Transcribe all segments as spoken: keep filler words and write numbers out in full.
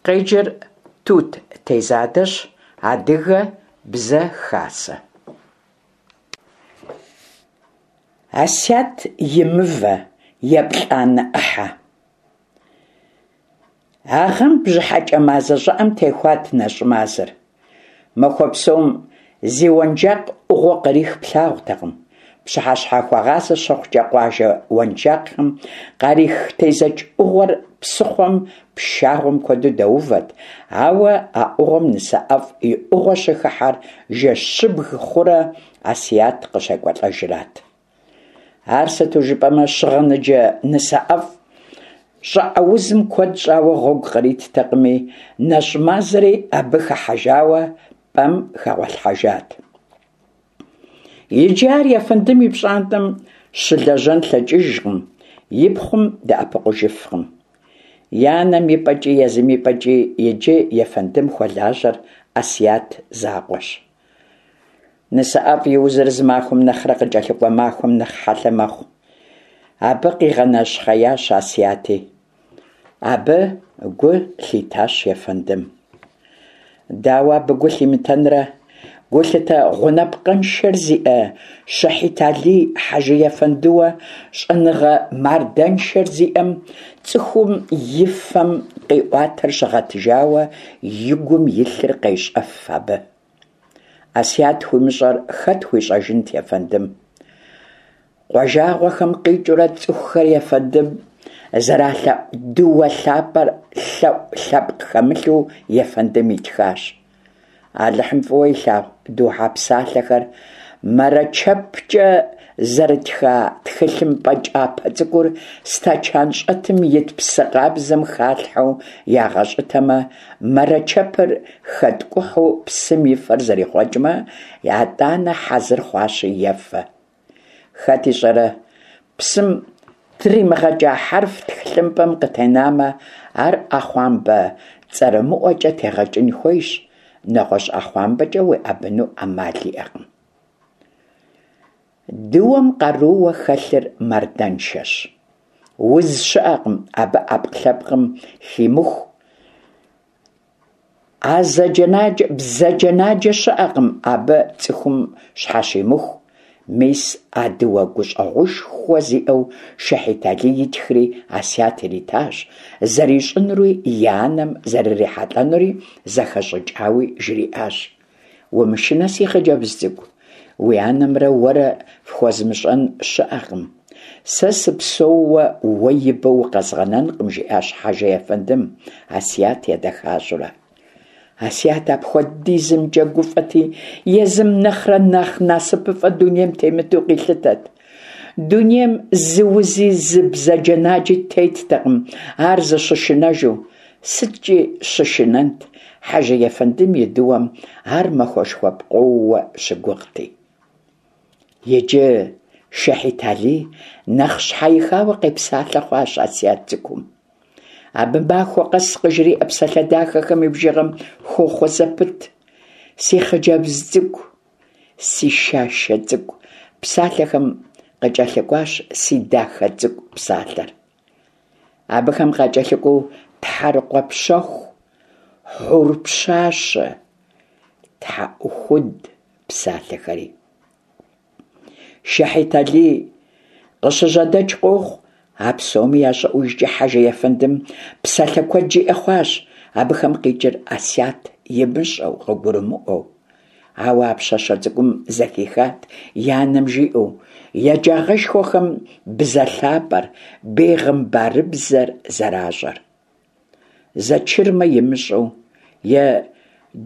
Къеджэр Тут Тезадэщ. Адыгэ Бзэ Хасэ. Асят и мывэ, еплӏанэ ӏыхьэ. А гъэм бжьыхьэкӏэ мазэ щӏыӏэм техуат нэщӏ мазэр. Махуэ псом зи уэнжакъ ӏугъуэ кърих плъагъутэкъым. Пщыхьэщхьэхуэгъазэ щыхъукӏэ къуажэ уэнжакъхэм къарих тезэч ӏугъуэр псыхъуэм пшагъуэм хуэдэу дэувэт, ауэ а ӏугъуэм Нысэӏэфӏ и ӏугъуэ щыхыхьэр жэщыбг хъурэ Асият къыщекӏуэлӏэжрат. Ар сыту жыпӏэмэ, щыгъыныджэ Нысэӏэфӏ щӏыӏэ узым куэд щӏауэ гъуэгу къриттэкъыми, нэщӏ мазэри абы хыхьэжауэ пӏэм хэгъуэлъхьэжат. Иджы ар ефэндым и пщӏантӏэм щылэжьэн лъэкӏыжкъым, и пхъум дэӏэпыкъужыфкъым. И анэм и пӏэкӏи езым и пӏэкӏи иджы ефэндым хуэлажьэр Асият закъуэщ. Нысэӏэфӏ и узыр зы махуэм нэхърэ къыкӏэлъыкӏуэ махуэм нэхъ хьэлъэ мэхъу. Абы къигъэнэщхъеящ Асияти. Абы гу лъитащ ефэндым. Дауэ абы гу лъимытэнрэ? Гулъытэ гъунапкъэншэр зиӏэ Щэхьит-Алий хьэжы ефэндыуэ щӏэныгъэ мардэншэр зиӏэм цӏыхум и фэм къиӏуатэр щыгъэтыжауэ и гум илъыр къещӏэф абы. Асият хуимыщӏэр хэт хуищӏэжынт ефэндым? Къуажагъуэхэм къикӏыурэ цӏыхухэр ефэндым зэралъэӏу дыуэ лъапӏэр лъэӏу лъэпкъ хэмылъу ефэндым итхащ. Алыхьым фӏыуэ илъагъу духьэ псалъэхэр мэрэчэпкӏэ зэрытха тхылъымпӏэ кӏапэ цӏыкӏур стэчан щӏэтым ит псы къабзэм халъхьэу ягъэщӏытэмэ, мэрэчэпыр хэткӏухьу псым и фэр зэрихъуэкӏмэ, атӏанэ хьэзыр хъуащи ефэ. Хэт ищӏэрэ, псым тримыгъэкӏа хьэрф тхылъымпӏэм къытенамэ, ар ӏэхъуамбэ цӏэрымыӏуэкӏэ тегъэкӏын хуейщ, нэгъуэщӏ ӏэхъуамбэкӏэ уеӏэбыну ӏэмал иӏэкъым. Дыуэм къарууэ хэлъыр мардэншэщ. Уз щыӏэкъым абы ӏэпкълъэпкъым химыху, Азэджэнаджэ бзаджэнаджэ щыӏэкъым абы цӏыхум щхьэщимыху. Мис а дыуэ гущӏэгъушхуэ зиӏэу Шэхьит-Алий итхри Асият иритащ, зэрищӏынури и анэм зэрырихьэлӏэнури зэхэщӏыкӏауи жриӏащ. Умышынэ, си хъыджэбз цӏыкӏу, уи анэмрэ уэрэ фхуэзмыщӏэн щыӏэкъым. Сэ сыпсэууэ уэ ибэу укъэзгъэнэнкъым, жиӏащ хьэжы ефэндым, Асият едэхащӏэурэ. Асият апхуэдизымкӏэ гуфӏэти, езым нэхърэ нэхъ насыпыфӏэ дунейм темыту къилъытэт. Дунейм зы узи зы бзаджэнаджи теттэкъым ар зыщышынэжу. Сыткӏи щышынэнт, хьэжы ефэндым и дыуэм ар махуэшхуэ пкъоууэ щыгугъти. Иджы Шэхьит-Алий нэхъ щхьэихауэ къепсалъэ хъуащ Асият цӏыкӏум. Абы махуэ къэс къыжриӏэ псалъэ дахэхэм и бжыгъэм хохъуэ зэпыт. Си хъыджэбз цӏыкӏу, си шашэ цӏыкӏу псалъэхэм къыкӏэлъыкӏуащ си дахэ цӏыкӏу псалъэр. Абыхэм къакӏэлъыкӏуэу тхьэрыкъуэ пщэху, хьур пщащэ, тхьэӏухуд псалъэхэри. Шэхьит-Алий къыщыжьэдэкӏ къохъу. А псоми ящӏыӏужкӏэ хьэжы ефэндым псалъэ куэд жиӏэ хъуащ, абыхэм къикӏыр Асият имыщӏэу, къыгурымыӏуэу. Ауэ а пщащэ цӏыкӏум зэхихат и анэм жиӏэу, еджагъэшхуэхэм бзэ лъапӏэр, бегъымбарыбзэр зэращӏэр. Зэчырмэ имыщӏэу е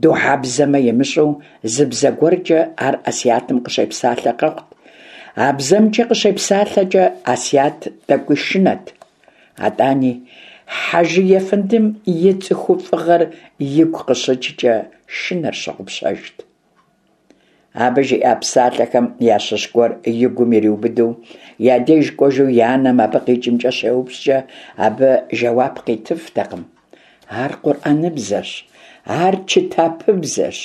духьэбзэмэ имыщӏэу зы бзэ гуэркӏэ ар Асиятым къыщепсалъэ къэхъут. А бзэмкӏэ къыщепсалъэкӏэ Асият тӏэкӏуи шынэт. Атӏани, хьэжы ефэндым и цӏыхуфӏыгъэр игу къыщыкӏкӏэ шынэр щыгъупщэжт. Абы жиӏа псалъэхэм ящыщ гуэр и гум ириубыдэу, я деж кӏуэжу и анэм абы къикӏымкӏэ щеупщӏкӏэ, абы жэуап къитыфтэкъым. Ар къурӏэныбзэщ, ар чытапыбзэщ.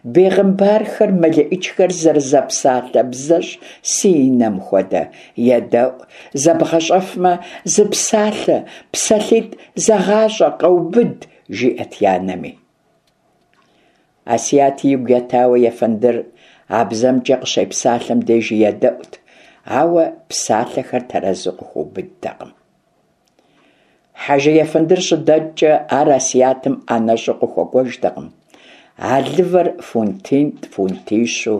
Бегъымбархэр, мэлэӏичхэр зэрызэпсалъэ бзэщ си нэм хуэдэ. Едэӏу, зэбгъэщӏэфмэ, зы псалъэ, псалъитӏ зэгъащӏэ, къэубыд, жиӏэт и анэми. Асият игу етауэ ефэндыр а бзэмкӏэ къыщепсалъэм дежи едэӏуэт, ауэ псалъэхэр тэрэзу къыхуэубыдтэкъым. Хьэжы ефэндыр щыдэкӏкӏэ, ар Асиятым ӏэнэщӏу къыхуэкӏуэжтэкъым. Алывэр фунтитӏ, фунтищу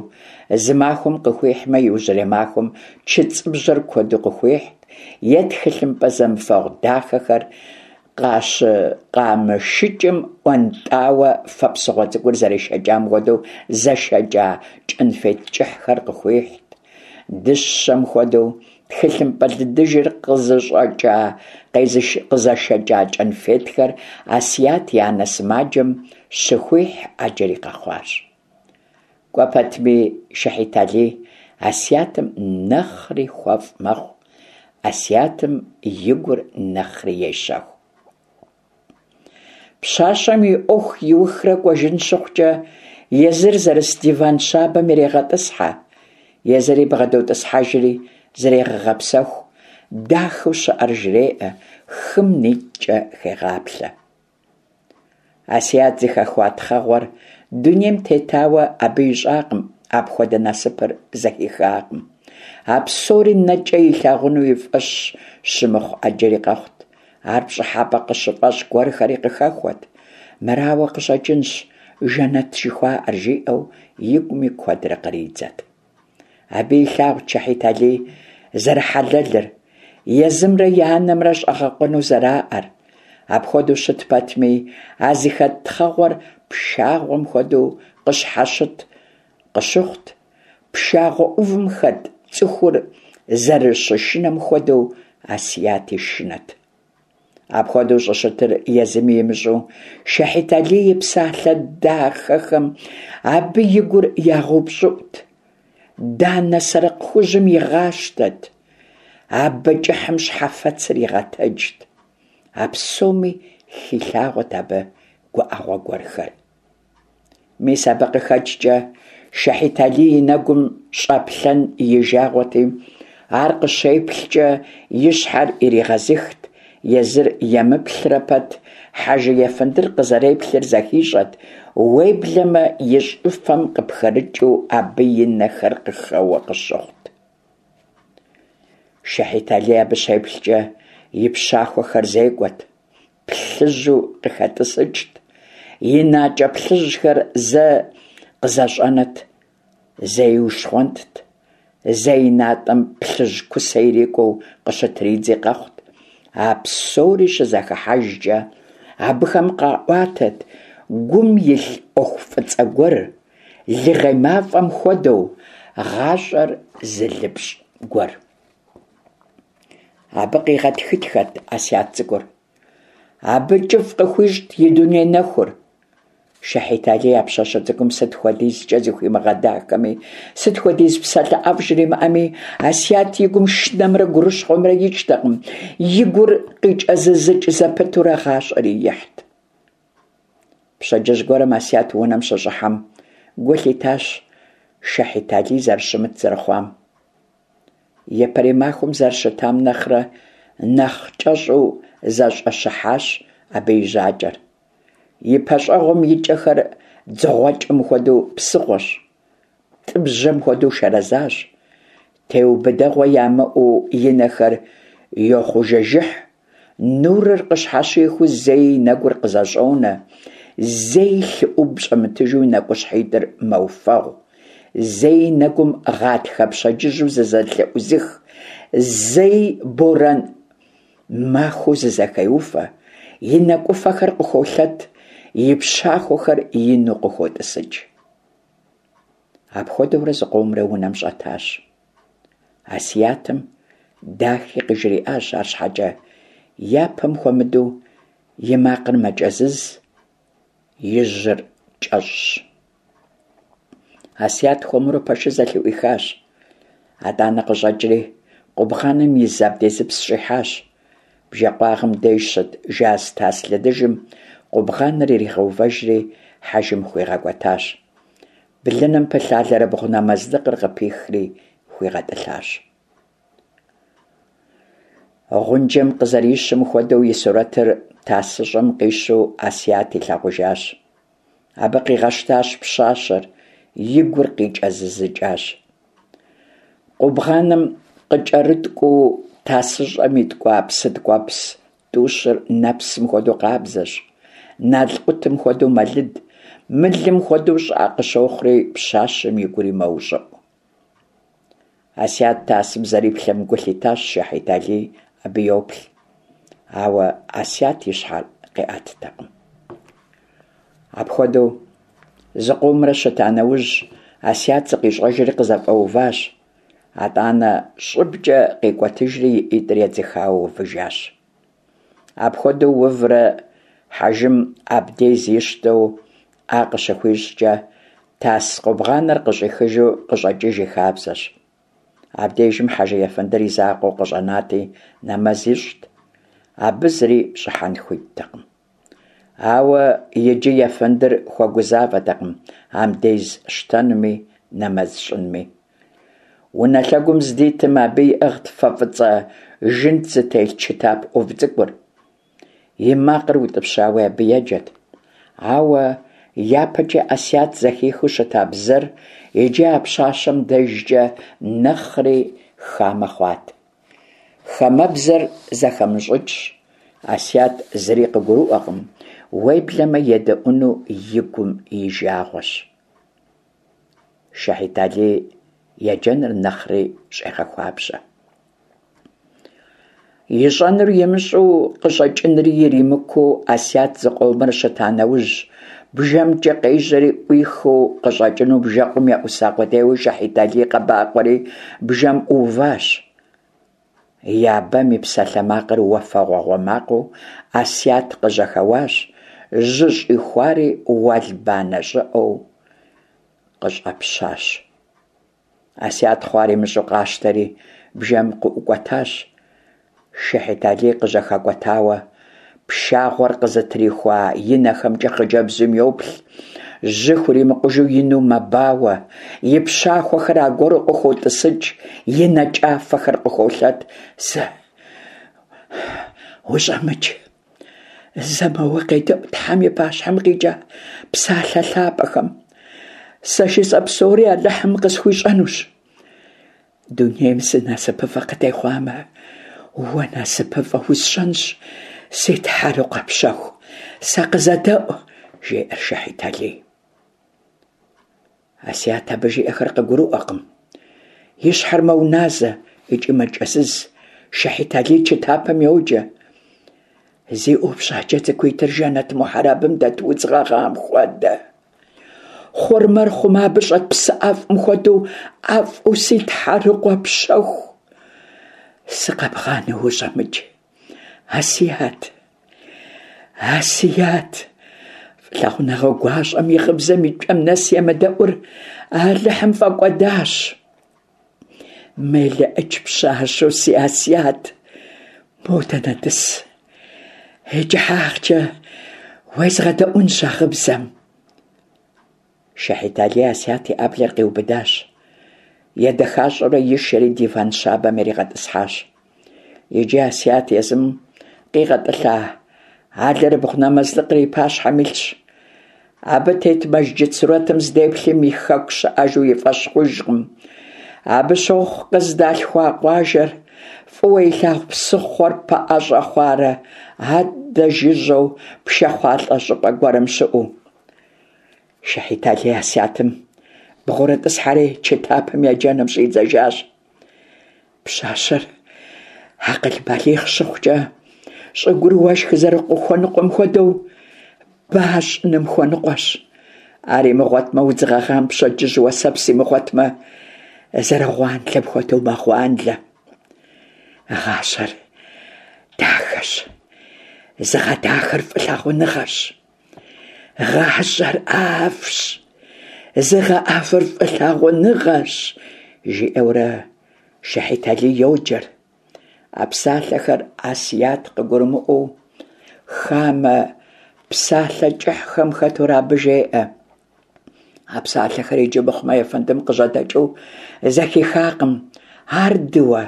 зы махуэм къыхуихьмэ, иужьрей махуэм чыцӏыбжьэр куэду къыхуихьт, е тхылъымпӏэ зэмыфэгъу дахэхэр къамышыкӏым ӏуэнтӏауэ фэ псыгъуэ цӏыкӏур зэрешэкӏам хуэдэу зэшэкӏа кӏэнфет кӏыхьхэр къыхуихьт. Дыщэм хуэдэу тхылъымпӏэ лыдыжыр къызэшэкӏа кӏэнфетхэр Асият и анэ сымаджэм щыхуихь ӏэджэри къэхъуащ. Кӏуэ пэтми Шэхьит Алий Асиятым нэхъри хуэфӏ мэхъу, Асиятым и гур нэхъри ещэху. Пщащэм и ӏуэху иухрэ кӏуэжын щыхъукӏэ, езыр зэрыс диван щабэм ирегъэтӏысхьэ, езыри бгъэдотӏысхьэжри зрегъэгъэпсэху, дахэу щыӏэр жреӏэ, хым нитӏкӏэ хегъаплъэ. Асият зыхэхуа тхъэгъуэр дунейм тетауэ абы ищӏакъым, апхуэдэ насыпыр зэхихакъым. А псори нэкӏэ илъагъуну и фӏэщ щымыхъу ӏэджэри къэхъут, ар пщӏыхьэпӏэ къыщыфӏэщӏ гуэрхэри къыхэхуэт. Мырауэ къыщӏэкӏынщ жэнэт жыхуаӏэр, жиӏэу игуми куэдрэ къридзэт. Абы илъагъут Шэхьит Алий зэрыхьэлэлыр, езымрэ и анэмрэ щӏэгъэкъуэну зэраӏэр. Апхуэдэу щыт пэтми, а зыхэт тхъэгъуэр пшагъуэм хуэдэу къыщхьэщыт къыщыхъут, пшагъуэ ӏувым хэт цӏыхур зэрыщышынэм хуэдэу Асияти шынэт. Апхуэдэу щӏыщытыр езыми имыщӏэу, Шэхьит Алий и псалъэ дахэхэм абы и гур ягъэупщӏыӏут, данэ сэрыкъ хужьым игъащтэт, абэ кӏыхьым щхьэфэцыр игъэтэджт. А псоми хилъагъуэт абы гуӏэгъуэ гуэрхэр. Мис абы къыхэкӏкӏэ Шэхьит Алий и нэгум щӏэплъэн и жагъуэти, ар къыщеплъкӏэ и щхьэр иригъэзыхт, езыр емыплърэ пэт хьэжы ефэндыр къызэреплъыр зэхищӏэт, уеблэмэ и щӏыфэм къыпхырыкӏыу абы и нэхэр къыхэуэ къыщыхъут. Шэхьит Алий абы щеплъкӏэ и пщахуэхэр зекӏуэт, плъыжьу къыхэтӏысыкӏт, и накӏэ плъыжьхэр зэ къызэщӏэнэт, зэи ущхъуэнтт, зэ и натӏэм плъыжь кусэ ирикӏуэу къыщытридзи къэхъут. А псори щызэхыхьэжкӏэ абыхэм къаӏуатэт гум илъ ӏуэху фӏыцӏэ гуэр, лыгъей мафӏэм хуэдэу, гъащӏэр зылыпщӏ гуэр. Абы къигъэтхытхэт Асият цӏыкӏур. Абы кӏыфӏ къыхуищӏт и дуней нэхур. Шэхьит Алий а пщащэ цӏыкӏум сыт хуэдизкӏэ зыхуимыгъэдахэми, сыт хуэдиз псалъэ ӏэфӏ жримыӏэми, Асият и гум шынэмрэ гурыщхъуэмрэ икӏтэкъым, и гур къикӏэзызыкӏ зэпытурэ гъащӏэри ихьт. Пщэдджыжь гуэрым Асият унэм щыщӏыхьэм гу лъитащ Шэхьит Алий зэрыщымыт зэрыхъуам. Япэрей махуэм зэрыщытам нэхърэ нэхъ кӏэщӏу зэщӏэщыхьащ абы и жьакӏэр. И пэщӏэгъум и кӏэхэр дзыгъуэкӏэм хуэдэу псыгъуэщ, тӏыбжьэм хуэдэу шэрэзащ. Теубыдэгъуэ ямыӏэу и нэхэр йохъужэжыхь, нурыр къыщхьэщихыу зэи и нэгур къызэщӏонэ, зэи лъы ӏуб щӏэмытыжу и нэкӏущхьитӏыр мэуфэгъу, зэи и нэгум гъатхэ пщэдджыжьу зызэлъыӏузых, зэи борэн махуэу зызэхеуфэ, и нэкӏуфэхэр къыхуолъэт, и пщахуэхэр ину къыхотӏысыкӏ. Апхуэдэурэ зыкъомрэ унэм щӏэтащ. Асиятым дахи къыжриӏащ, арщхьэкӏэ япэм хуэмыдэу и макъыр мэкӏэзыз, и жьыр кӏэщӏщ. Асият хуэмурэ пэшыр зэлъыӏуихащ. Атӏанэ къыщӏэкӏри къубгъаным из абдезыпс щӏихьащ. Бжэкъуагъым деж щыт жаз тас лыдыжым къубгъаныр иригъэувэжри хьэжым хуигъэкӏуэтащ. Блыным пылъ алэрыбгъу нэмэзлыкъыр къыпихри хуигъэтӏылъащ. Гъунджэм къызэрищым хуэдэу и сурэтыр тасыщӏэм къищу Асият илъагъужащ. Абы къигъэщтащ пщащэр, и гур къикӏэзызыкӏащ. Къубгъаным къыкӏэрыткӏуу тасыщӏэм иткӏуа псы ткӏуэпс тӏущыр нэпсым хуэдэу къабзэщ, налкъутым хуэдэу мэлыд, мылым хуэдэу щӏыӏэ къыщохъури, пщащэм и гури мэущӏыӏу. Асият тасым зэриплъэм гу лъитащ Шэхьит-Алий абы йоплъ. Ауэ Асият и щхьэр къиӏэттэкъым. Апхуэдэу зыкъомрэ щыта нэужь, Асият зыкъищӏэжри къызэфӏэуващ. Атӏанэ щӏыбкӏэ къикӏуэтыжри и ӏитӏыр едзыхауэ увыжащ. Апхуэдэу уврэ хьэжым абдей зищтэу ӏэ къыщыхуищӏкӏэ, тас къубгъаныр къыщӏихыжу къыщӏэкӏыж и хабзэщ. Абдежым хьэжы ефэндыр и закъуэу къыщӏэнати, нэмэз ищӏт. Абы зыри щӏыхьэн хуиттэкъым. Ауэ иджы ефэндыр хуэгузавэтэкъым андез щтэнми, нэмэз щӏынми. Унэ лъэгум здитым абы иӏыгът фэ фӏыцӏэ жынт зытелъ чытап ӏув цӏыкӏур. И макъыр утӏыпщауи абы еджэт. Ауэ япэкӏэ Асият зэхихыу щыта бзэр иджы а пщащэм дежкӏэ нэхъри хамэ хъуат. Хамэбзэр зэхэмыщӏыкӏщ, Асият зыри къыгурыӏуэкъым, уеблэмэ едэӏуэну и гум и жагъуэщ. Шэхьит-Алий еджэныр нэхъри щӏегъэхуабжьэ. Ищӏэнур имыщӏэу, къыщӏэкӏынри иримыкуу Асият зыкъомрэ щыта нэужь, бжэмкӏэ къежьэри ӏуихыу къыщӏэкӏыну бжэкъум еӏуса къудейуэ Шэхьит-Алий къэбакъуэри бжэм ӏууващ. Я бэм и псалъэмакъыр уафэгъуагъуэ макъыу Асият къыжьэхэуащ, жьы щӏихуари уэлбанэ щӏыӏэу къыщӏэпщащ. Асият хъуар имыщӏэу къащтэри бжэм къыӏукӏуэтащ. Шэхьит-Алий къыжьэхэкӏуэтауэ, пшагъуэр къызытрихуа и нэхэмкӏэ хъыджэбзым йоплъ, жьы хуримыкъужу ину мэбауэ, и пщахуэхэр аргуэру къыхотӏысыкӏ, и нэ кӏафэхэр къыхуолъэт. Зэ ущӏэмыкӏ, зэ моуэ къедэӏу Тхьэм и пащхьэм къикӏа псалъэ лъапӏэхэм. Сэ жысӏэ псори Алыхьым къысхуищӏэнущ. Дунейм зы насыпыфӏэ къытехъуамэ, уэ насыпыфӏэ усщӏэнщ, си тхьэрыкъуэ пщэху, сэ къызэдэӏу, жеӏэр Шэхьит-Алий. Асият абы жиӏэхэр къыгурыӏуэкъым. И щхьэр мэуназэ икӏи мэкӏэзыз. Шэхьит-Алий чытапым йоджэ. Зи ӏупщӏакӏэ цӏыкӏуитӏыр жэнэт мухьэрабым дэт удз гъэгъам хуэдэ. Хъурмэр хъумэ абы щӏэт псы ӏэфӏым хуэдэу ӏэфӏу си тхьэрыкъуэ пщэху. Сыкъэбгъанэу ущӏэмыкӏ. Асият, Асият, фӏылъагъуныгъэ гуащӏэм и гъыбзэм и кӏэм нэс емыдэӏур Алыхьым фӏэкӏуэдащ. Мелыӏыч пщащэу си Асият, модэ нэтӏыс. И кӏыхьагъкӏэ уезгъэдэӏунщ а гъыбзэм. Шэхьит-Алий Асият и ӏэблэр къиубыдащ. Едэхащӏэурэ ишэри диван щабэм иригъэтӏысхьащ. Иджы Асият езым къигъэтӏылъа алэрыбгъу нэмэзлыкъыр и пащхьэм илъщ. Абы тет мэжджыт сурэтым здеплъым и хэку щыӏэжу и фӏэщ хъужкъым. Абы щохъу къыздалъхуа къуажэр, фӏыуэ илъагъу псыхъуэр пэӏэщӏэ хъуарэ адэ жыжьэу пшахъуалӏэ щӏыпӏэ гуэрым щыӏэу. Шэхьит-Алий Асиятым бгъурытӏысхьэри чытапым еджэным щӏидзэжащ. Пщащэр акъыл балигъ щыхъукӏэ, щӏыгур уэшх зэрыхуэныкъуэм хуэдэу, ба щӏыным хуэныкъуэщ. Ар имыгъуэтмэ, удз гъэгъам пщэдджыжь уэсэпс имыгъуэтмэ, зэрыгъуанлэм хуэдэу мэгъуанлэ. Гъащӏэр дахэщ, зыгъэдахэр фӏылъагъуныгъэрщ. Гъащӏэр ӏэфӏщ, зыгъэӏэфӏыр фӏылъагъуныгъэрщ, жиӏэурэ Шэхьит-Алий йоджэр. А псалъэхэр Асият къыгурымыӏуэу, хамэ псалъэ кӏыхьхэм хэтурэ абы жеӏэ. А псалъэхэр иджы мыхъумэ ефэндым къыжьэдэкӏыу зэхихакъым. Ар дыуэ,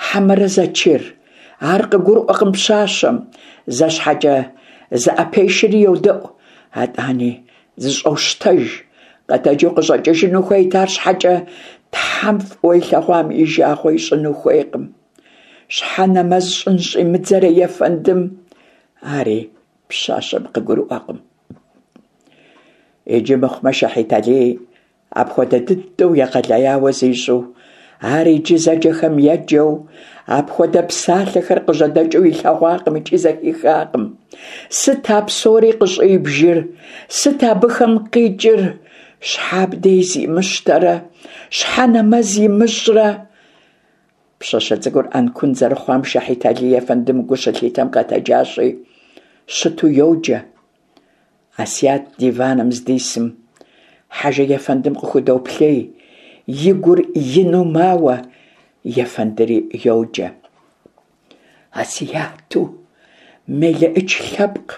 хьэмэрэ зэчыр, Ар къыгурыӏуэкъым пщащэм, зэ щхьэкӏэ зыӏэпешэри йодэӏу, атӏани зыщӏощтэж, къэтэджу къыщӏэкӏыжыну хуейт, арщхьэкӏэ Тхьэм фӏыуэ илъэгъуам и жагъуэ ищӏыну хуейкъым. Щхьэ нэмэз щӏын щӏимыдзэрэ ефэндым? Ари пщащэм къыгурыӏуэкъым. Иджы мыхъумэ Шэхьит Алий апхуэдэ дыдэу егъэлеяуэ зищӏу, ар иджы зэджэхэм еджэу, апхуэдэ псалъэхэр къыжьэдэкӏыу илъэгъуакъым икӏи зэхихакъым. Сыт а псори къыщӏибжыр? Сыт абыхэм къикӏыр? Щхьэ абдей зимыщтэрэ? Щхьэ нэмэз имыщӏрэ? Пщащэ цӏыкӏур ӏэнкун зэрыхъуам Шэхьит Алий ефэндым гу щылъитэм къэтэджащи, щыту йоджэ. Асият диваным здисым, хьэжы ефэндым къыхудоплъей, и гур ину мауэ, ефэндыри йоджэ. Асияту мелыӏыч лъэпкъ,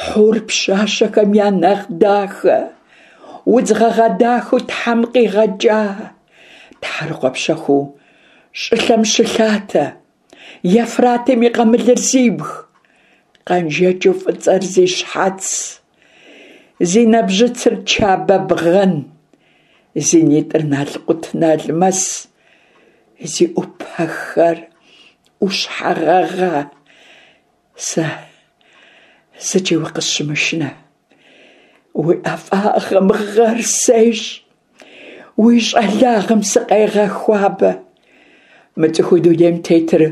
хьур пщащэхэм я нэхъ дахэ, удз гъэгъа дахэу Тхьэм къигъэкӏа, тхьэрыкъуэ пщэхуу щӏылъэм щылъатэ, Ефратым и къамылыр зибг, къэнжэкӏыу фӏыцӏэр зи щхьэц, зи нэбжьыцыр Чабэ бгъэн, зи нитӏыр налкъут налмэс, зи ӏупэхэр ӏущхьэ гъэгъа. Сэ зыкӏи укъысщымышынэ, уи ӏэфӏагъым гъэр сещӏ, уи щӏалагъым сыкъегъэхуабэ. Мы цӏыхуу дунейм тетыр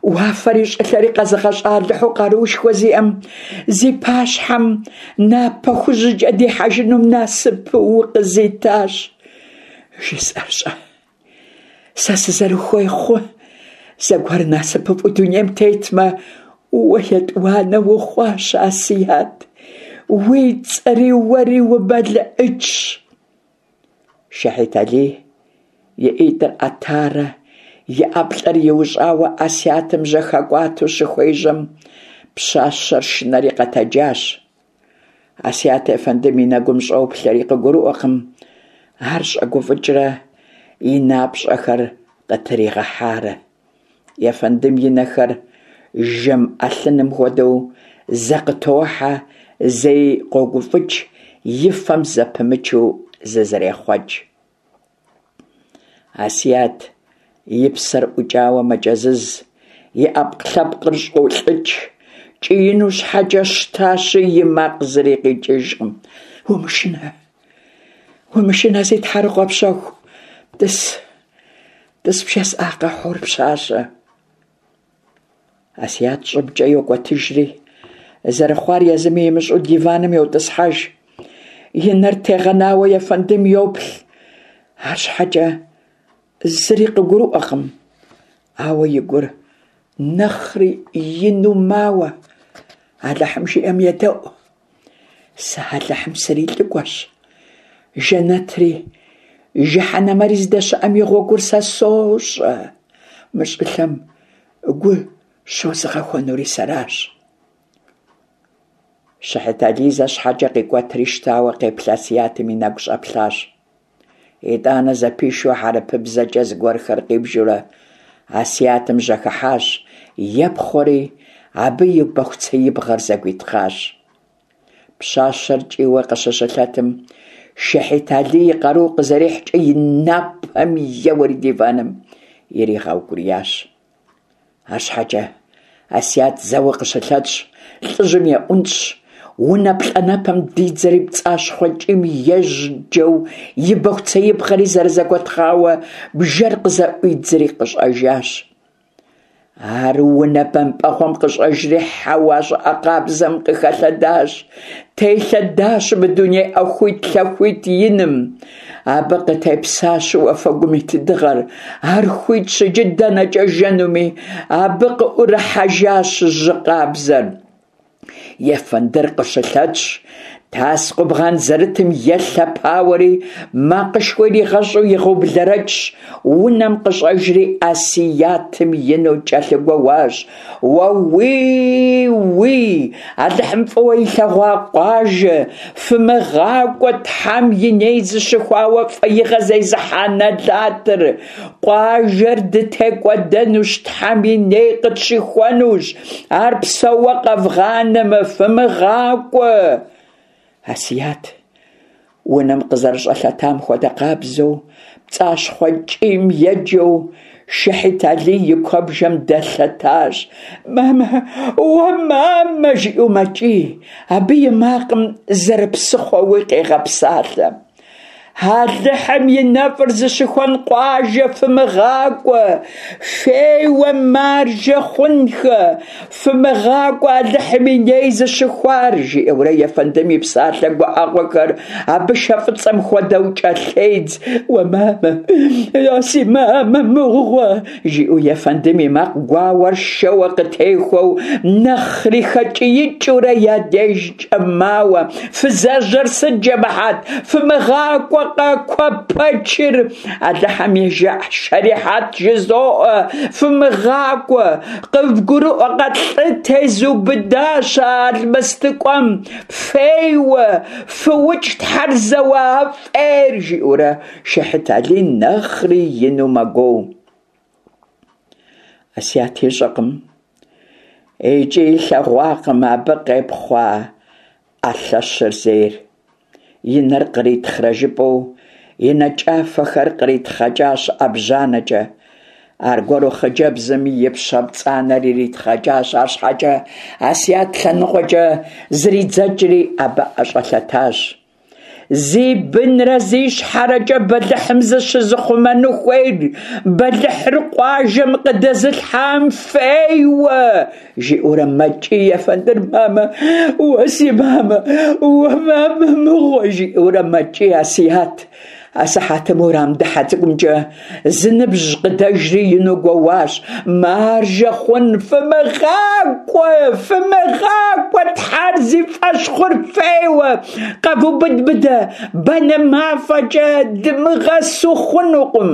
уафэри щӏылъэри къэзыгъэщӏа Алыхьу къаруушхуэ зиӏэм зи пащхьэм напэ хужькӏэ дихьэжынум насып укъызитащ. Жысӏэр щӏэ, сэ сызэрыхуей хъу, зэгуэр насыпыфӏэу дунейм тетмэ, уэ етӏуанэ ухъуащ, Асият, уи цӏэри уэри умэлыӏычщ. Шэхьит Алий и ӏитӏыр ӏэтарэ и ӏэплӏэр иущӏауэ Асиятым жьэхэкӏуатэу щыхуежьэм, пщащэр шынэри къэтэджащ. Асият ефэндым и нэгум щӏоплъэри къыгурыӏуэкъым, ар щӏэгуфӏыкӏрэ и напщӏэхэр къытригъэхьарэ. Ефэндым и нэхэр жэм ӏэлъыным хуэдэу зэ къытохьэ, зэи къогуфӏыкӏ, и фэм зэпымычу зызэрехъуэкӏ. Асият и псэр ӏукӏауэ мэкӏэзыз, и ӏэпкълъэпкъыр щӏолӏыкӏ, кӏиину щхьэкӏэ щтащи, и макъ зыри къикӏыжкъым. Умышынэ, умышынэ, си тхьэрыкъуэ пщэху, тӏыс, тӏыс бжесӏакъэ, хьур пщащэ. Асият щӏыбкӏэ йокӏуэтыжри, зэрыхъуар езыми имыщӏэу диваным йотӏысхьэж. И нэр тегъэнауэ ефэндым йоплъ, арщхьэкӏэ зыри къыгурыӏуэкъым, ауэ и гур нэхъри ину мауэ. Алыхьым жиӏэм едэӏу. Сэ Алыхьым срилӏыкӏуэщ. Жэнэтри жыхьэнэмэри здэщыӏэм и гъуэгур сэ сощӏэ. Мы щӏылъэм гу щозыгъэхуэнури сэращ. Шэхьит Алий зэ щхьэкӏэ къикӏуэтри щтауэ къеплъ Асиятым и нэгу щӏэплъащ. Итӏанэ зэпишу хьэрыпыбзэкӏэ зыгуэрхэр къибжурэ Асиятым жьэхыхьащ, епхъуэри абы и бэхуцеибгъэр зэгуитхъащ. Пщащэр кӏийуэ къыщыщылъэтым, Шэхьит Алий и къару къызэрихькӏэ и напэм еуэри диваным иригъэукӏуриящ. Арщхьэкӏэ Асият зэуэ къыщылъэтщ, лӏыжьым еӏунщӏщ, унэ плӏанэпэм дидзэри пцӏащхъуэ кӏийм ежьджэу и бэхуцеибгъэри зэрызэгуэтхъауэ бжэр къызэӏуидзри къыщӏэжащ. Ар унэ бэмпӏэгъуэм къыщӏэжри хьэуа щӏыӏэ къабзэм къыхэлъэдащ, телъэдащ мы дуней ӏэхуит-лъэхуит иным. Абы къытепсащ уафэгум ит дыгъэр, ар хуитщ иджы дэнэкӏэ жэнуми, абы къыӏурыхьэжащ жьы къабзэр. Ефэндыр къыщылъэтщ, Тас къубгъан зэрытым елъэпауэри, макъышхуэ иригъэщӏу игъэублэрэкӏщ, унэм къыщӏэжри Асиятым ину кӏэлъыгуэуащ: «Уэуий-уий, Алыхьым фӏыуэ илъэгъуа къуажэ, фымыгъакӏуэ Тхьэм и ней зыщыхуауэ фӏеигъэ зезыхьа нэлатыр! Къуажэр дытекӏуэдэнущ, Тхьэм и ней къытщыхуэнущ, ар псэууэ къэвгъанэмэ, фымыгъакӏуэ!» Асият унэм къызэрыщӏэлъэтам хуэдэ къабзэу, пцӏащхъуэ кӏийм еджэу Шыхьит Алий и куэбжэм дэлъэтащ. «Мамэ! Уэ, мамэ!» жиӏэу мэкӏий, абы и макъым зэрыпсыхъуэуи къегъэпсалъэ. Алыхьым и нэфӏыр зыщыхуэн къуажэ фымыгъакӏуэ, фейуэ маржэ хъунхэ, фымыгъакӏуэ Алыхьым и ней зыщыхуар, жиӏэурэ ефэндым и псалъэ гуӏэгъуэхэр абы шэ фӏыцӏэм хуэдэу кӏэлъедз. Уэ мамэ, я си мамэ мыгъуэ, жиӏэу ефэндым и макъ гуауэр шэуэ къытехуэу нэхъри хэкӏиикӏыурэ я дежкӏэ мауэ. Фызэжьэр сыт, жэмыхьэт, фымыгъакӏуэ къэкуэпэчыр, Алыхьым и шэрихьэт жызоӏэ, фымыгъакӏуэ, къывгурыӏуэкъэ, лӏы тезубыдащ а алмэстыкӏуэм, фейуэ, фыукӏ Тхьэр зэуа фӏейр, жиӏэурэ Шыхьит Алий нэхъри ину мэгуоу. Асият ищӏэкъым икӏи илъэгъуакъым абы къепхъуа ӏэ лъэщыр зейр. И нэр къритхърэ жыпӏэу и нэкӏафэхэр къритхъэкӏащ ӏэбжьанэкӏэ. Аргуэру хъыджэбзым и пщэ пцӏанэр иритхъэкӏащ, арщхьэкӏэ Асият лъэныкъуэкӏэ зридзэкӏри абы ӏэщӏэлъэтащ. Зи бынрэ зи щхьэрэкӏэ бэлыхьым зыщызыхъумэну хуейр, бэлыхьыр къуажэм къыдэзылъхьам фейуэ, жиӏэурэ мэкӏий ефэндыр. Мамэ, уэ си мамэ, уэ мамэ мыгъуэ, жиӏэурэ мэкӏий Асият. Асыхьэтым урам дыхьэ цӏыкӏумкӏэ зы ныбжь къыдэжри ину гуэуащ: «Маржэ хъун, фымыгъакӏуэ, фымыгъакӏуэ, Тхьэр зи фӏэщ хъур фейуэ, къэвубыд мыдэ, банэ мафӏэкӏэ дымыгъэсу хъунукъым!»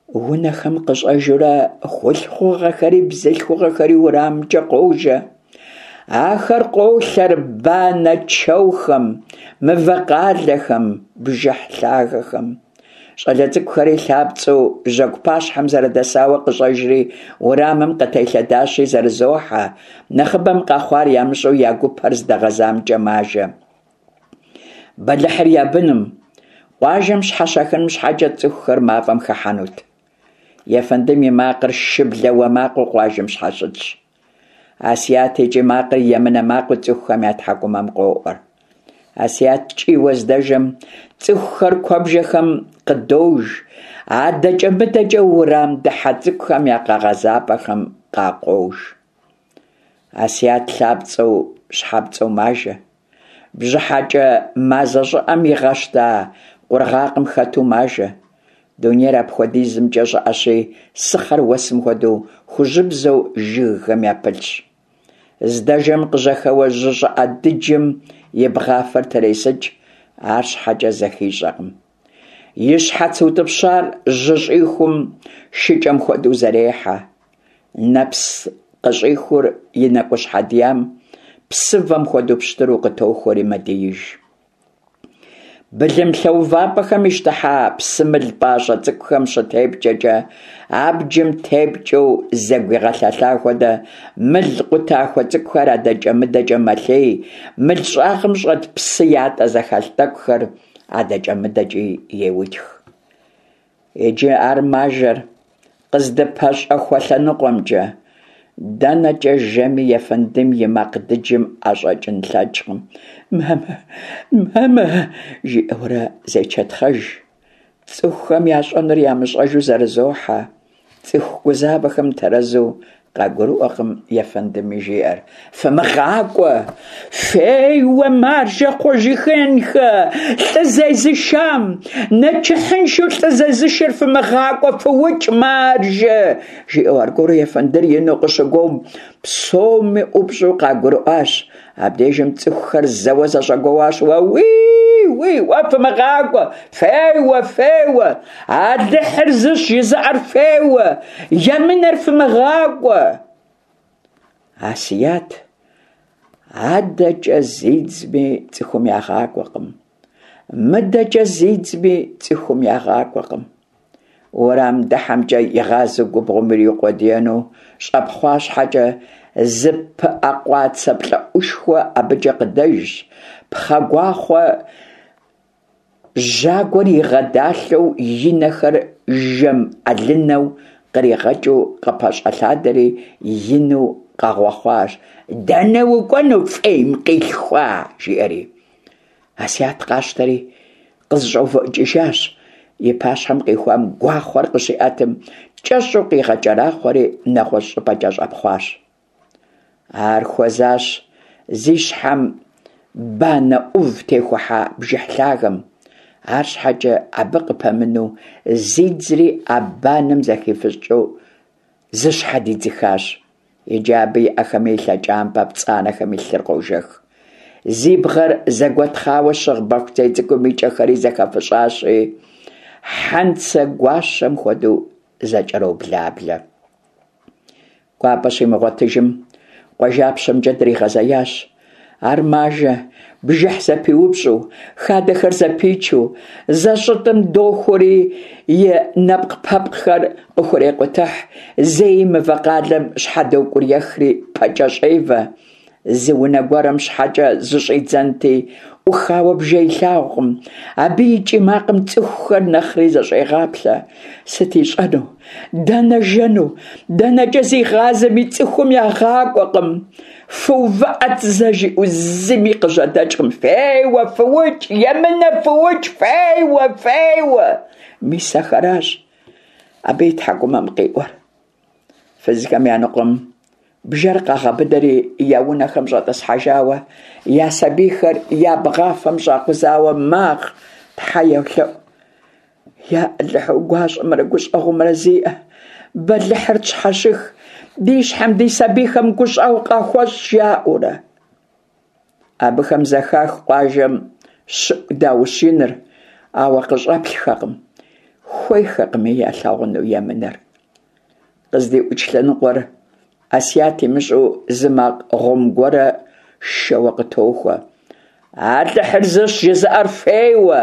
Унэхэм къыщӏэжурэ хъулъхугъэхэри бзылъхугъэхэри уэрамымкӏэ къожэ. Ахэр къолъэр банэ чэухэм, мывэ къалэхэм, бжыхь лъагэхэм. Щӏалэ цӏыкӏухэри лъапцӏэу жьэгу пащхьэм зэрыдэсауэ къыщӏэжри уэрамым къытелъэдащи зэрызохьэ, нэхъыбэм къэхъуар ямыщӏэу я гупэр здэгъэзамкӏэ мажэ. Бэлыхьыр я быным, къуажэм щхьэщахыным щхьэкӏэ цӏыхухэр мафӏэм хыхьэнут. Ефэндым и макъыр шыблэ уэ макъыу къуажэм щхьэщытщ. Асият и кӏий макъыр емынэ макъыу цӏыхухэм я тхьэкӏумэм къоӏуэр. Асият кӏийуэ здэжэм цӏыхухэр куэбжэхэм къыдож, адэкӏэ-мыдэкӏэ урам дыхьэ цӏыкӏухэм я къэгъэзапӏэхэм къакъуож. Асият лъапцӏэу щхьэпцӏэу мажэ. Бжьыхьэкӏэ мазэ щӏыӏэм игъэщта къургъакъым хэту мажэ. Дунейр апхуэдизымкӏэ щӏыӏэщи, сыхъэр уэсым хуэдэу хужьыбзэу жыгхэм япылъщ. Здэжэм къыжьэхэуэ жьы щӏыӏэ дыджым и бгъафэр тресыкӏ, арщхьэкӏэ зэхищӏэкъым. И щхьэц утӏыпщар жьы щӏихум шыкӏэм хуэдэу зэрехьэ. Нэпс къыщӏихур и нэкӏущхьэ диям псывэм хуэдэу пщтыру къытохуэри мэдииж. Былым лъэувапӏэхэм ищтыхьа псымыл пӏащӏэ цӏыкӏухэм щытепкӏэкӏэ, абджым тепкӏэу зэгуигъэлъэлъа хуэдэ мыл къутахуэ цӏыкӏухэр адэкӏэ-мыдэкӏэ мэлъей, мыл щӏагъым щӏэт псы ятӏэ зэхэлъ тӏэкӏухэр адэкӏэ-мыдэкӏи еутх. Иджы ар мажэр къыздыпэщӏэхуэ лъэныкъуэмкӏэ. Дэнэкӏэ жэми ефэндым и макъ дыджым ӏэщӏэкӏын лъэкӏкъым. Мамэ, мамэ, жиӏэурэ зечэтхъэж. Цӏыхухэм ящӏэнур ямыщӏэжу зэрызохьэ. Цӏыху гузавэхэм тэрэзу Къагурыӏуэкъым ефэндыми жиӏэр. Фымыгъакӏуэ! Феуэ, маржэ хъужыхэнхэ, лӏы зезышам! Нэчыхьыншэу лӏы зезышэр фымыгъакӏуэ, фыукӏ, маржэ! Жиӏэу аргуэру ефэндыр ину къыщыгуом, псоми ӏупщӏу къагурыӏуащ. Абдежым цӏыхухэр зэуэ зэщӏэгуэуащ: Уэуий, уи, уэ фымыгъакӏуэ! Феуэ, феуэ! Алыхьыр зыщ жызыӏэр феуэ! Емынэр фымыгъакӏуэ! Асият адэкӏэ зидзми цӏыхум ягъакӏуэкъым, мыдэкӏэ зидзми цӏыхум ягъакӏуэкъым. Уэрам дыхьэмкӏэ игъазэу губгъуэм ириукъуэдиену щӏэпхъуа щхьэкӏэ, зы пыӏэ къуацэ плӏэӏушхуэ абыкӏэ къыдэжщ, пхъэ гуахъуэ жьагуэр игъэдалъэу, и нэхэр жэм ӏэлынэу къригъэкӏыу къыпэщӏэлъадэри ину къэгъуэхъуащ: «Дэнэ укӏуэну, фӏейм къилъхуа?!» жиӏэри. Асият къащтэри къызэщӏэувыӏыкӏыжащ. И пащхьэм къихуам гуахъуэр къыщиӏэтым, кӏэщӏу къигъэкӏэрахъуэри нэгъуэщӏ щӏыпӏэкӏэ щӏэпхъуащ. Ар хуэзащ зи щхьэм банэ ӏув техухьа бжыхь лъагэм. Арщхьэкӏэ абы къыпэмыну зидзри а банэм зэхифыщӏыкӏыу зыщхьэдидзыхащ. Иджы абы и ӏэхэми и лъэкӏампӏэ пцӏанэхэми лъыр къожэх. Зи бгъэр зэгуэтхъауэ щыгъ бэхуцей цӏыкӏум и кӏэхэри зэхэфыщӏащи, хьэнцэ гуащэм хуэдэу зэкӏэроблаблэ. Кӏуапӏэ щимыгъуэтыжым, къуажапщэмкӏэ дригъэзеящ. Ар мажэ, бжыхь зэпиупщӏу, хадэхэр зэпичу, зэщӏытӏым дохуэри и нэпкъпэпкъхэр къыхурекъутыхь, зэи мывэ къалэм щхьэдокӏуриехри пэкӏэ щӏевэ. Зы унэ гуэрым щхьэкӏэ зыщӏидзэнти, ӏухауэ бжэ илъагъукъым. Абы и кӏий макъым цӏыхухэр нэхъри зэщӏегъаплъэ. Сыт ищӏэну? Дэнэ жэну? Дэнэкӏэ зигъазэми цӏыхум ягъакӏуэкъым. Фыувыӏэт зэ жиӏэу зыми къыжьэдэкӏкъым. Феуэ, фыукӏ, емынэ фыукӏ, феуэ, феуэ! Мис ахэращ абы и тхьэкӏумэм къиӏуэр. Фызхэм я ныкъуэм бжэр къагъэбыдэри я унэхэм щӏэтӏысхьэжауэ, я сабийхэр я бгъафэм щӏакъузауэ магъ, тхьэ йолъэӏу. Я Алыхьу гуащӏэмрэ гущӏэгъумрэ зиӏэ, бэлыхьыр тщхьэщых, ди щхьэм ди сабийхэм гущӏэгъу къахуэщӏ, жаӏэурэ. Абыхэм зэхах къуажэм щыӏу даущ иныр, ауэ къыщӏэплъхэкъым, хуейхэкъыми ялъагъуну емынэр. Къыздиӏукӏ лъэныкъуэр Асият имыщӏэу зы макъ гъум гуэрэ шэуэ къытохуэ. Алыхьыр зыщ жызыӏэр феуэ,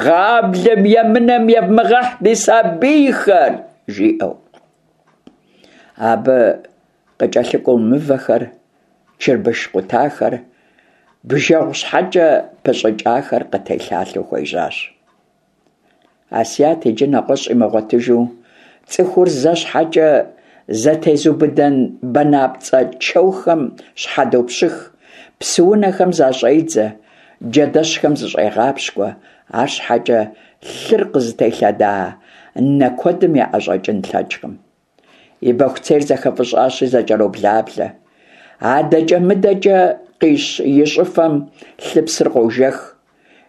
гъаблэм емынэм евмыгъэхь ди сабийхэр, жиӏэу. Абы къыкӏэлъыкӏуэу мывэхэр, чырбыш къутахэр, бжэгъу щхьэкӏэ пыщӏыкӏахэр къытелъалъэу хуежьащ. Асият иджы нэгъуэщӏ имыгъуэтыжу, цӏыхур зэ щхьэкӏэ зэтезубыдэн банапцӏэ чэухэм щхьэдопщых, псыунэхэм защӏедзэ, джэдэщхэм зыщӏегъапщкӏуэ, арщхьэкӏэ лъыр къызытелъэда нэ куэдым яӏэщӏэкӏын лъэкӏкъым. И бэхуцейр зэхэфӏыщӏащи зэкӏэроблаблэ. Адэкӏэ-мыдэкӏэ къищ и щӏыфэм лъыпсыр къожэх.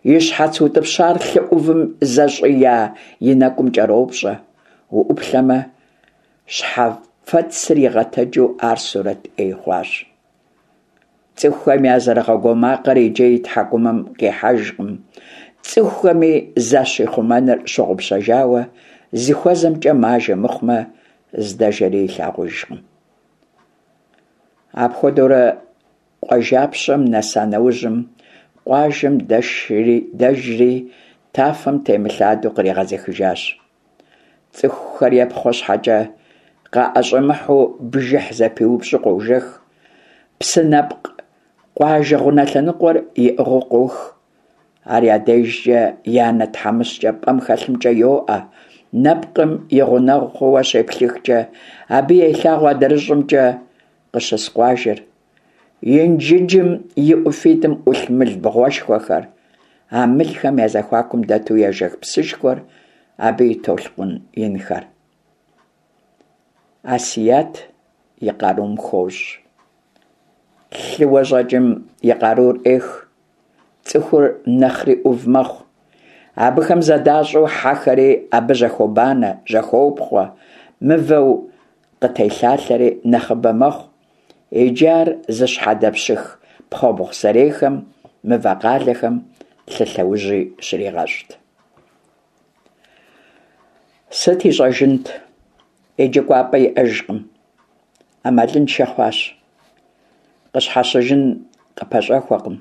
И щхьэц утӏыпщар лъы ӏувым зэщӏия и нэкӏум кӏэропщӏэ. Уӏуплъэмэ, щхьэфэцыр игъэтэджу ар сурэт ӏей хъуащ. Цӏыхухэм я зэрыгъэгуо макъыр иджы и тхьэкӏумэм къихьэжкъым. Цӏыхухэми защихъумэныр щыгъупщэжауэ, зыхуэзэмкӏэ мажэ мыхъумэ, здэжэри илъагъужкъым. Апхуэдэурэ къуажапщэм нэса нэужьым, къуажэм дэшри дэжри тафэм темылъадэу къригъэзыхыжащ. Цӏыхухэр епхъуэ щхьэкӏэ къаӏэщӏэмыхьэу бжыхь зэпиупщӏу къожэх. Псы нэпкъ къуажэ гъунэ лъэныкъуэр иӏыгъыу къох. Ар я дежкӏэ и анэ тхьэмыщкӏэ пӏэм хэлъымкӏэ йоӏэ. Нэпкъым и гъунэгъу хъууэ щеплъыхкӏэ, абы елъагъу адрыщӏымкӏэ къыщыс къуажэр. Инжыджым и ӏуфитӏым ӏулъ мыл бгъуэшхуэхэр, а мылхэм я зэхуакум дэту ежэх псышхуэр, абы и толъкъун инхэр. Асият и къарум хощӏ. Лъыуэ щӏэкӏым и къарур ӏех, цӏыхур нэхъри ӏув мэхъу. Абыхэм зэдащӏэу хьэхэри абы жьэхобанэ, жьэхопхъуэ, мывэу къытелъалъэри нэхъыбэ мэхъу. Иджы ар зыщхьэдэпщых пхъэбгъу сэрейхэм, мывэ къалэхэм лъы лъэужьи щригъэщӏт. Сыт ищӏэжынт? Иджы кӏуапӏэ иӏэжкъым. Ӏэмалыншэ хъуащ. Къыщхьэщыжын къыпэщӏэхуэкъым.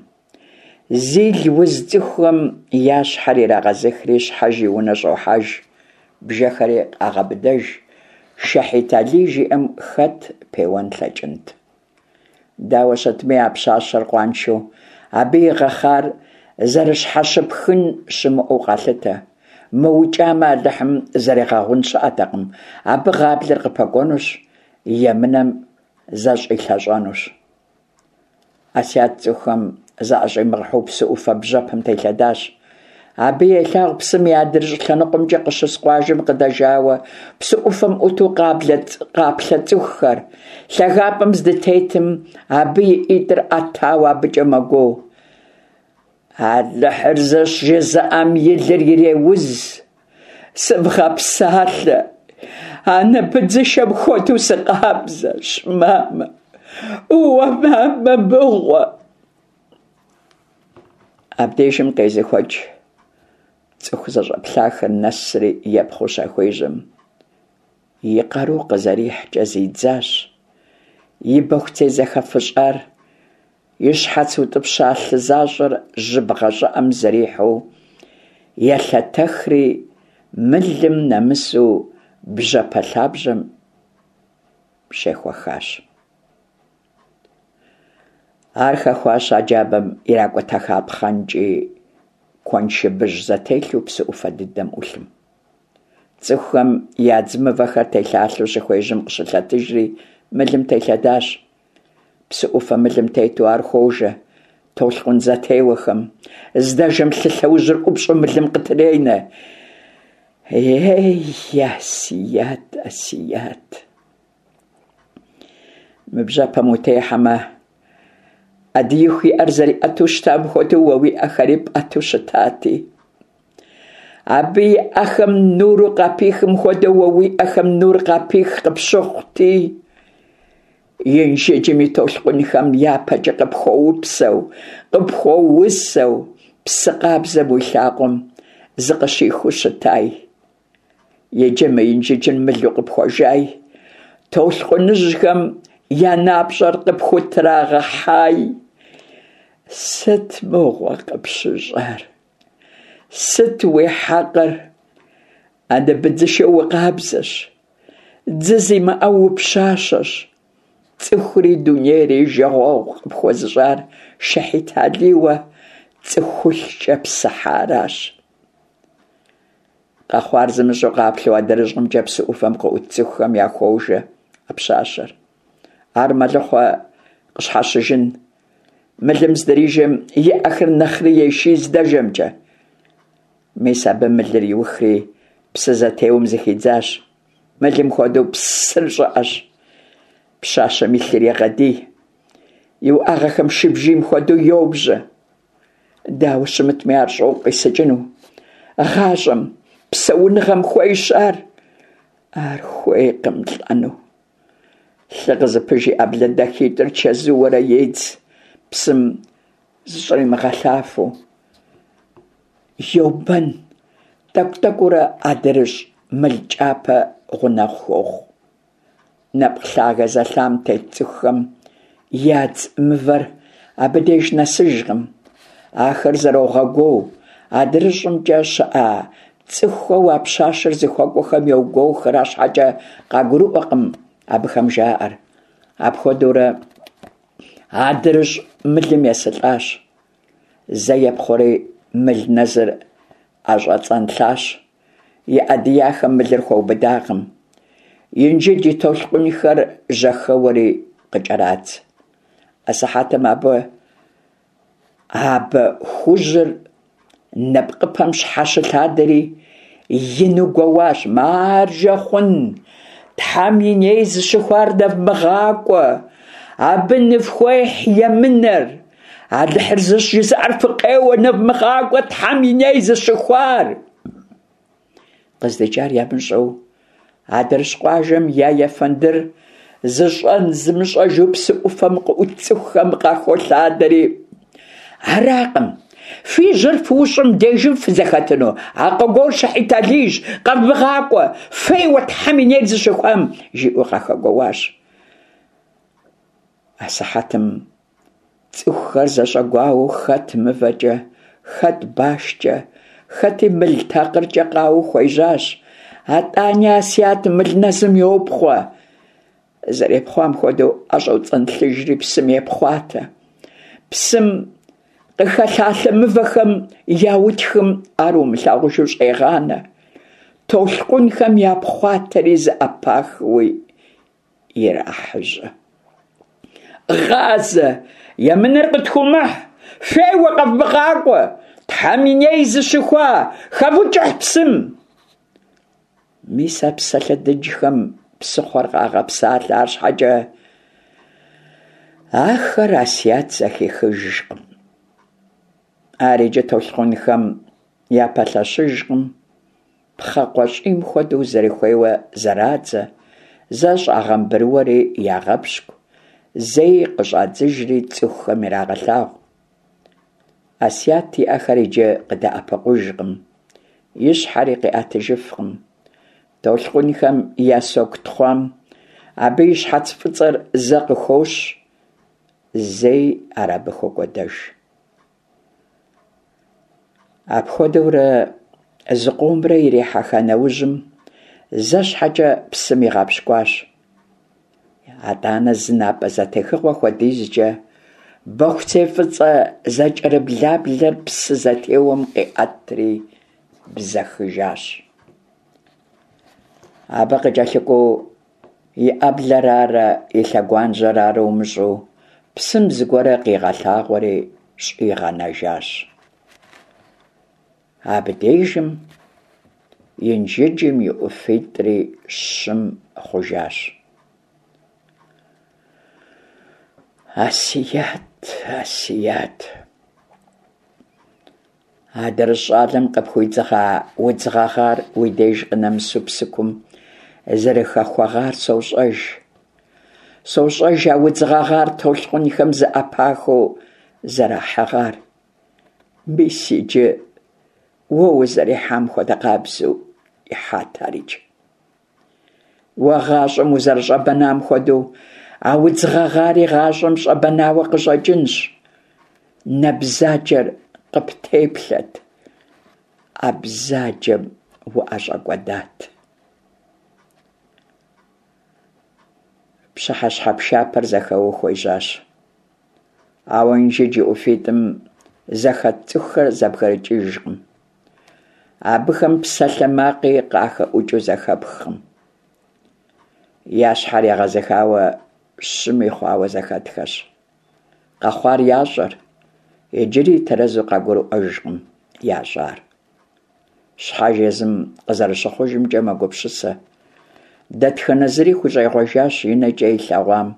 Зил уз цӏыхухэм я щхьэр ирагъэзыхри, щхьэж и унэ щӏохьэж, бжэхэри къагъэбыдэж. Шэхьит Алий жиӏэм хэт пеуэн лъэкӏынт? Дауэ щытми, а пщащэр къуаншэу, абы игъэхъар зэрыщхьэщыпхын щымыӏэу къалъытэ. Мыукӏамэ, Алыхьым зэригъэгъун щыӏэтэкъым, абы гъаблэр къыпэкӏуэнущ, емынэм зэщӏилъэщӏэнущ. Ӏэсият цӏыхухэм заӏэщӏимыгъэхьэу псы ӏуфэ бжьэпэм телъэдащ. Абы елъагъу псым и адрыщӏ лъэныкъуэмкӏэ къыщыс къуажэм къыдэжауэ псы ӏуфэм ӏуту къаплъэ цӏыхухэр. Лъагапӏэм здытетым абы и ӏитӏыр ӏэтауэ абыкӏэ мэгуо. Алыхьыр зыщ жызыӏэм и лыр иреуз. Сывгъэпсалъэ. Анэ быдзышэм хуэдэу сыкъабзэщ, мамэ. Уэ мамэ мыгъуэ. Абдежым къезыхуэкӏ цӏыху зэщӏэплъахэр нэсри епхъуу щахуежьэм, и къару къызэрихькӏэ зидзащ, и бэхуцей зэхэфыщӏар, и щхьэц утӏыпща лъы защӏэр жьыбгъэ щӏыӏэм зэрихьэу елъэтэхри мылым нэмысу бжьэпэ лъабжьэм щехуэхащ. Ар хэхуащ а джабэм иракӏутэха пхъэнкӏий куэншыбыжь зэтелъу псы ӏуфэ дыдэм ӏулъым. Цӏыхухэм ядз мывэхэр телъалъэу щыхуежьэм къыщылъэтыжри мылым телъэдащ. Псы ӏуфэ мылым тету ар хуожэ толъкъун зэтеуэхэм. Здэжэм лъы лъэужьыр ӏупщӏу мылым къытренэ. Ей, Асият, Асият! Мы бжьэпэм утехьэмэ, Ӏэдииху и ӏэр зэриӏэту щытам хуэдэу уэ уи ӏэхэри пӏэту щытати. Абы и ӏэхэм нуру къапихым хуэдэу уэ уи ӏэхэм нур къапих къыпщыхъути. Инжыджым и толъкъунхэм япэкӏэ къыпхуэупсэу, къыпхуэусэу, псы къабзэм уи лъакъуэм зыкъыщихыу щытай. Иджы мы инжыджыр мылу къыпхуэжай, толъкъуныжьхэм я напщӏэр къыпхутрагъэхьай. Сыт мыгъуэ къыпщыщӏар? Сыт уи хьэкъыр? Анэ быдзышэу укъабзэщ, дзы зимыӏэу упщащэщ. Цӏыхури дунейри жагъуэгъу къыпхуэзыщӏар Шэхьит Алийуэ цӏыхулъкӏэ псыхьаращ. Къэхъуар зымыщӏэу къаплъэу адрыщӏымкӏэ псы ӏуфэм къыӏут цӏыхухэм яхуожэ а пщащэр. Ар мэлыхъуэ къыщхьэщыжын. Мылым здрижэм и ӏэхэр нэхъри еший здэжэмкӏэ. Мис абы мылыр иухри псы зэтеуэм зыхидзащ. Мылым хуэдэу псыр щӏыӏэщ. Пщащэм и лъыр егъэдий. И уӏэгъэхэм шыбжийм хуэдэу йобжьэ. Дауэ щымытми ар щӏокъу къисыкӏыну. Гъащӏэм, псэуныгъэм хуейщ ар. Ар хуейкъым лӏэну. Лъы къызыпыж и ӏэблэ дахитӏыр чэзууэрэ едз, псым зыщӏримыгъэлъафэу. Йобэн, тӏэкӏу-тӏэкӏуурэ адрыщӏ мыл кӏапэ гъунэгъу хуохъу. Нэпкъ лъагэ зэлъам тет цӏыхухэм ядз мывэр абы деж нэсыжкъым. Ахэр зэрогъэгуоу, адрыщӏымкӏэ щыӏэ цӏыхухэу а пщащэр зыхуэкӏуэхэм йогуоухэр, арщхьэкӏэ къагурыӏуэкъым абыхэм жаӏэр. Апхуэдэурэ адрыщӏ мылым есылӏащ. Зэ епхъуэри мыл нэзыр ӏэщӏэцӏэнлъащ. И ӏэ дияхэм мылыр хуэубыдакъым. Инжыдж и толъкъунхэр жьэхэуэри къыкӏэрадз. Асыхьэтым абы абы хужьыр нэпкъыпэм щхьэщылъадэри ину гуэуащ: «Маржэ хъун! Тхьэм и ней зыщыхуар нэвмыгъакӏуэ! Абы ныфхуехь емынэр! Алыхьыр зыщ жызыӏэр фыкъеуэ, нэвмыгъакӏуэ Тхьэм и ней зыщыхуар! Къыздикӏар ямыщӏэу адрыщӏ къуажэм я ефэндыр зыщӏэн зымыщӏэжу псы ӏуфэм къыӏут цӏыхухэм къахолъадэри: «Аракъым, фи жьэр фыущӏым дежым фызэхэтыну, а къэгуор Шыхьит Алийщ, къэвмыгъакӏуэ, феуэ Тхьэм и нейр зыщыхуам!» жиӏэу къахэгуоуащ. Асыхьэтым цӏыхухэр зэщӏэгуауэу хэт мывэкӏэ, хэт башкӏэ, хэти мыл такъыркӏэ къауэу хуежьащ. Атӏани Асият мыл нэзым йопхъуэ. Зэрепхъуам хуэдэу ӏэщӏоцӏэнлъыжри псым епхъуатэ. Псым къыхэлъалъэ мывэхэм я утхым ар умылъагъужу щӏегъанэ. Толъкъунхэм япхъуатэри зэӏэпахыуи ирахьэжьэ. Гъазэ! Емынэр къытхуумыхь! Феуэ, къэвмыгъакӏуэ! Тхьэм и ней зыщыхуа! Хэвукӏыхь псым! Мис а псалъэ дыджхэм псыхъуэр къагъэпсалъэ, арщхьэкӏэ ахэр Асият зэхихыжкъым. Ар иджы толъкъунхэм япэлъэщыжкъым, пхъэ къуэщӏийм хуэдэу зэрыхуейуэ зэрадзэ, зэ щӏагъэмбрыуэри ягъэпщкӏу, зэи къыщӏадзыжри цӏыхухэм ирагъэлъагъу. Асият и ӏэхэр иджы къыдэӏэпыкъужкъым, и щхьэри къиӏэтыжыфкъым. Толъкъунхэм я соку тхъуам абы и щхьэц фӏыцӏэр зэ къыхощ, зэи ар абы хокӏуэдэж. Апхуэдэурэ зыкъомрэ ирихьэха нэужьым, зэ щхьэкӏэ псым игъэпщкӏуащ. Атӏанэ зы напӏэ зэтехыгъуэ хуэдизкӏэ бэхуцей фӏыцӏэ зэкӏэрыблаблэр псы зэтеуэм къиӏэтри бзэхыжащ. Абы къыкӏэлъыкӏуэу и ӏэблэр арэ и лъэгуажьэр арэ умыщӏэу псым зыгуэр къигъэлъагъуэри щӏигъэнэжащ. Абдежым Инжыджым и ӏуфитӏри щым хъужащ. Асият, Асият! Адрыщӏ щӏалэм къыпхуидзыгъа удз гъэгъар уи деж къынэмысу псыкум зэрыхэхуэгъар сощӏэж. Сощӏэж а удз гъэгъар толъкъунхэм зэӏэпахыу зэрахьыгъар. Мис иджы уэ узэрихьам хуэдэ къабзэу ихьат ар иджы. Уэ гъащӏэм узэрыщӏэбэнам хуэдэу а удз гъэгъари гъащӏэм щӏэбэнауэ къыщӏэкӏынщ. Нэ бзаджэр къыптеплъэт, а бзаджэм уӏэщӏэкӏуэдат. Пщыхьэщхьэ пшапэр зэхэуэу хуежьащ. Ауэ Инжыдж и ӏуфитӏым зэхэт цӏыхухэр зэбгрыкӏыжкъым. Абыхэм псалъэмакъи къахэӏукӏыу зэхэпхкъым. Я щхьэр егъэзыхауэ щыми хъуауэ зэхэтхэщ. Къэхъуар ящӏэр, иджыри тэрэзу къагурыӏуэжкъым ящӏар. Щхьэж езым къызэрыщыхъужымкӏэ мэгупсысэ. Дэтхэнэ зыри хущӏегъуэжащ и нэкӏэ илъэгъуам,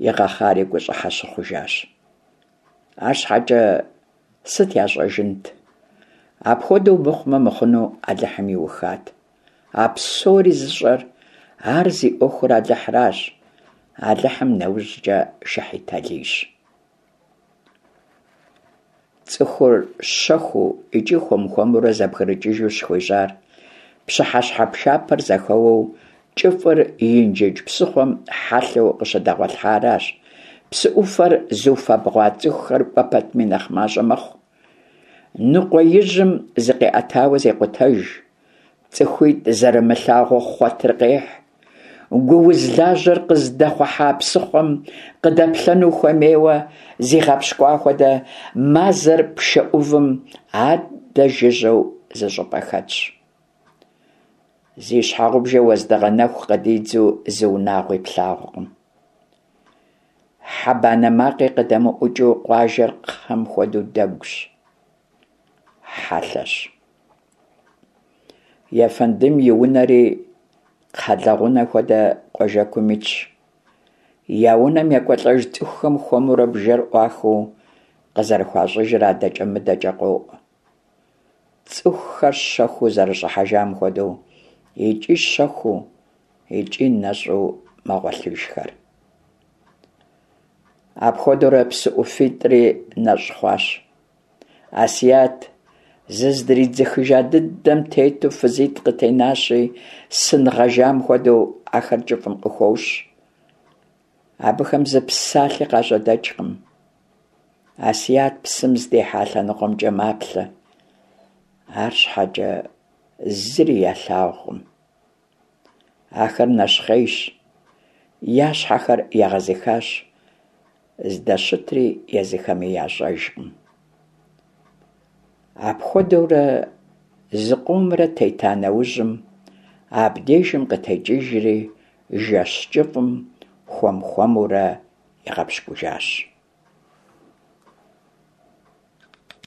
игъэхъари гущӏыхьэ щыхъужащ. Арщхьэкӏэ сыт ящӏэжынт? Апхуэдэу мыхъумэ мыхъуну Алыхьым иухат. А псори зыщӏэр, ар зи ӏуэхур Алыхьращ, Алыхьым нэужькӏэ Шыхьит Алийщ. Цӏыхур щэхуу икӏи хуэм-хуэмурэ зэбгрыкӏыжу щыхуежьар пщыхьэщхьэ пшапэр зэхэуэу кӏыфӏыр Инжыдж псыхъуэм хьэлъэу къыщыдэгъуэлъхьаращ. Псы ӏуфэр зыуфэбгъуа цӏыхухэр кӏуэ пэтми нэхъ мащӏэ мэхъу. Ныкъуэижьым зыкъиӏэтауэ зекъутэж. ЦӀыхуитӏ зэрымылъагъуу хъуэтыр къехь. Гууз лажьэр къызыдэхъухьа псыхъуэм къыдэплъэну хуэмейуэ зигъэпщкӏуа хуэдэ, мазэр пшэ ӏувым адэ жыжьэу зыщӏыпӏэ хэтщ. Зи щхьэгъубжэ уэздыгъэ нэху къыдидзэу зы унагъуи плъагъукъым. Хьэ банэ макъи къыдэмыӏукӏыу къуажэр кхъэм хуэдэу дэгущ, хьэлъэщ. Ефэндым и унэри Кхъэлэгъунэ хуэдэ къуажэкум итщ. Я унэм екӀуэлӀэж цӀыхухэм хуэмурэ бжэр Ӏуахыу къызэрыхуащӀыжыр адэкӀэ-мыдэкӀэ къоӀу. ЦӀыхухэр щэхуу зэрыщӀыхьэжам хуэдэу, икӀи щэхуу, икӀи нэщӀу мэгъуэлъыжхэр. Апхуэдэурэ псы ӀуфитӀри нэщӀ хъуащ. Ӏэсият зыздридзыхыжа дыдэм тету фызитӀ къытенащи, сын гъэжам хуэдэу ахэр кӀыфӀым къыхощ. Абыхэм зы псалъи къажьэдэкӀкъым. Ӏэсият псым здихьа лъэныкъуэмкӀэ маплъэ, арщхьэкӀэ зыри ялъагъукъым. Ахэр нэщхъейщ, я щхьэхэр егъэзыхащ, здэщытри езыхэми ящӀэжкъым. Апхуэдэурэ зыкъомрэ тета нэужьым, абдежым къытекӀыжри жэщ кӀыфӀым хуэм-хуэмурэ игъэпщкӀужащ.